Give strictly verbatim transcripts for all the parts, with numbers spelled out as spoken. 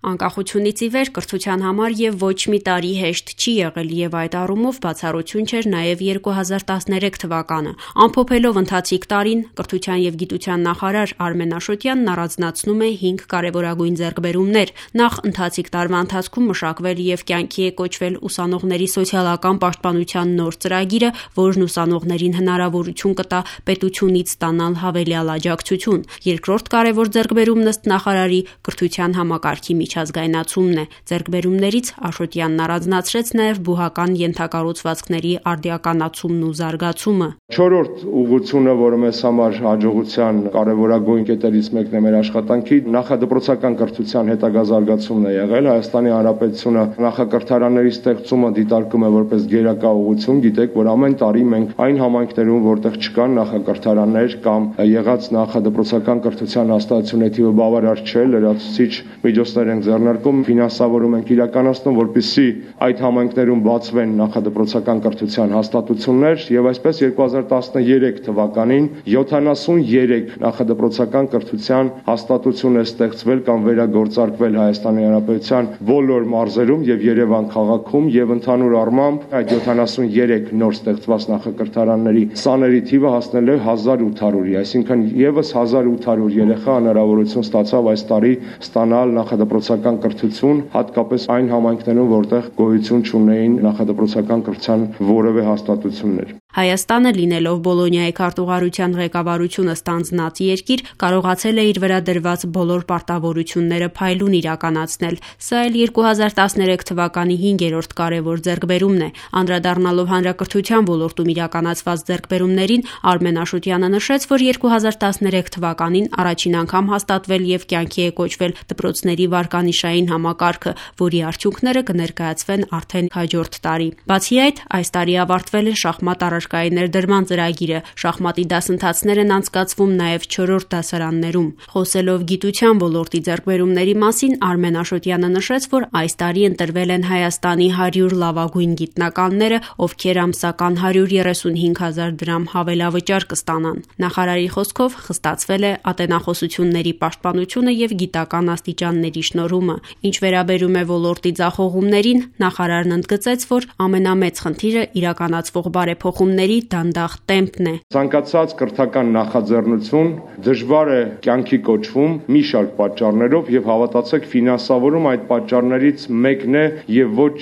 Անկախությունից ի վեր կրթության համար եւ ոչ մի տարի հեշտ չի եղել եւ այդ առումով բացառություն չէր նաեւ երկու հազար տասներեք թվականը։ Ամփոփելով ընթացիկ տարին, կրթության եւ գիտության նախարար Արմեն Աշոտյանն առանձնացնում է հինգ կարեւորագույն ձեռքբերումներ։ Նախ ընթացիկ տարվա ընթացքում մշակվել եւ կյանքի է կոչվել ուսանողների սոցիալական պաշտպանության նոր ծրագիրը, որն ուսանողներին հնարավորություն կտա պետությունից ստանալ հավելյալ աջակցություն։ Երկրորդ կարևոր ձեռքբերումն ըստ նախարարի կրթության համակարգի միջազգայնացումն է։ Ձեռքբերումներից Աշոտյանն առանձնացրեց նաև բուհական ենթակառուցվածքների արդիականացումն ու զարգացումը։ Չորրորդ ուղղությունը, որը մեզ համար հաջողության կարևորագույն կետերից մեկն է մեր աշխատանքի, նախադպրոցական կրթության հետագա զարգացումն է եղել։ Հայաստանի Հանրապետությունը նախակրթարանների ստեղծումը դիտարկում է որպես գերակա ուղղություն։ Գիտեք, որ ամեն տարի մենք այն համայնքներում, որտեղ չկան նախակրթարաններ կամ եղած նախադպրոցական կրթության հաստատությունների թիվը բավարար չէ, լրացուցիչ միջոցներ ենք ձեռնարկում, ֆինանսավորում ենք իրականացնում, որպեսզի այդ համայնքներում բացվեն նախադպրոցական կրթության հաստատություններ եւ այսպես երկու հազար տասներեք թվականին յոթանասուներեք նախադպրոցական կրթության հաստատություն է ստեղծվել կամ վերագործարկվել Հայաստանի Հանրապետության բոլոր մարզերում եւ Երևան քաղաքում եւ ընդհանուր առմամբ այդ յոթանասուներեք նոր ստեղծված նախակրթարանների սաների թիվը հասնել է հազար ութ հարյուրի, այսինքն եւս հազար ութ հարյուր երեխա հնարավորություն ստացավ այս տարի ստանալ նախադպրոցական կրթություն, հատկապես այն համայնքներում, որտեղ գոյություն չունեին նախադպրոցական կրթության որևէ հաստատություններ։ Հայաստանը, լինելով Բոլոնիայի քարտուղարության ղեկավարությունը ստանձնած երկիր, կարողացել է իր վրա դրված բոլոր պարտավորությունները փայլուն իրականացնել։ Սա էլ երկու հազար տասներեք թվականի հինգերորդ կարևոր ձեռքբերումն է։ Անդրադառնալով հանրակրթության ոլորտում իրականացված ձեռքբերումներին, Արմեն Աշոտյանը նշեց, որ երկու հազար տասներեք թվականին առաջին անգամ հաստատվել եւ կյանքի է կոչվել դպրոցների վարկանիշային համակարգը, որի արդյունքները կներկայացվեն արդեն հաջորդ տարի։ Բացի այդ, այս տարի ավարտվել է շախմատ առարկայի ներդրման ծրագիրը, շախմատի դասընթացներ են անցկացվում նաև չորրորդ դասարաններում։ Խոսելով գիտության ոլորտի ձեռքբերումների մասին, Արմեն Աշոտյանը նշեց, որ այս տարի ընտրվել են Հայաստանի հարյուր լավագույն գիտնականները, ովքեր ամսական հարյուր երեսունհինգ հազար դրամ հավելավճար կստանան։ Նախարարի խոսքով խստացվել է ատենախոսությունների պաշտպանությունը եւ գիտական աստիճանների շնորհումը։ Ինչ վերաբերում է ոլորտի ձախողումներին, նախարարն ընդգծեց, որ ամենամեծ խնդիրը իրականացվող բարեփոխումների դանդաղ տեմպն է։ Ցանկացած կրթական նախաձեռնություն դժվար է կյանքի կոչվում մի շարք պատճառներով եւ հավատացեք, ֆինանսավորում այդ պատճառներից մեկն է եւ ոչ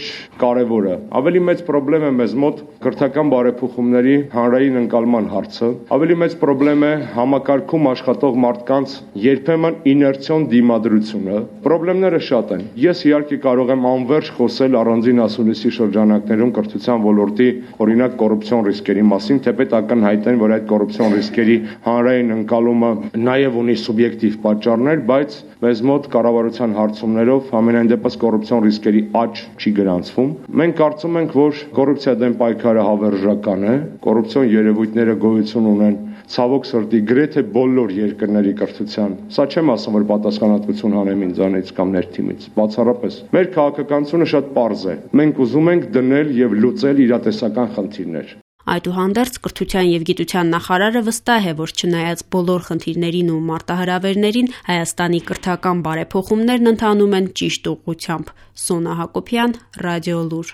կարեւորը։ Ավելի մեծ խնդրեմ է մեզ մոտ կրթական բարեփոխումների հանրային ընկալման հարցը։ Ավելի մեծ խնդրեմ է համակարգում աշխատող մարդկանց երբեմն իներցիոն դիմադրությունը։ Խնդիրները շատ են։ Ես իհարկե կարող եմ անվերջ խոսել առանձին ասուլիսի շրջանակներում կրթության ոլորտի օրինակ կոռուպցիոն ռիսկերի մասին, թեպետ ակնհայտ են, որ այդ կոռուպցիոն ռիսկերի հանրային ընկալումը նաև ունի սուբյեկտիվ պատճառներ, բայց մեզ մոտ կառավարության հարցումներով ամենայն դեպս կոռուպցիոն ռիսկերի աճ չի գրանցվում։ Մենք կարծում ենք, որ կոռուպցիա դեմ պայքարը հավերժական է, կոռուպցիոն երևույթները գոյություն ունեն ցավոք սրտի գրեթե բոլոր երկրների կրթության։ Սա չեմ ասում, որ պատասխանատվություն հանեմ ինձանից կամ ներքինից, բացառապես։ Մեր քաղաքականությունը շատ պարզ է։ Մենք ուզում ենք դնել եւ լուծել իրատեսական խնդիրներ։ Այդուհանդերձ կրթության եւ գիտության նախարարը վստահ է, որ չնայած բոլոր խնդիրներին ու մարտահրավերներին, Հայաստանի կրթական բարեփոխումներն ընթանում են ճիշտ ուղղությամբ։ Սոնա Հակոբյան, Ռադիոլուր։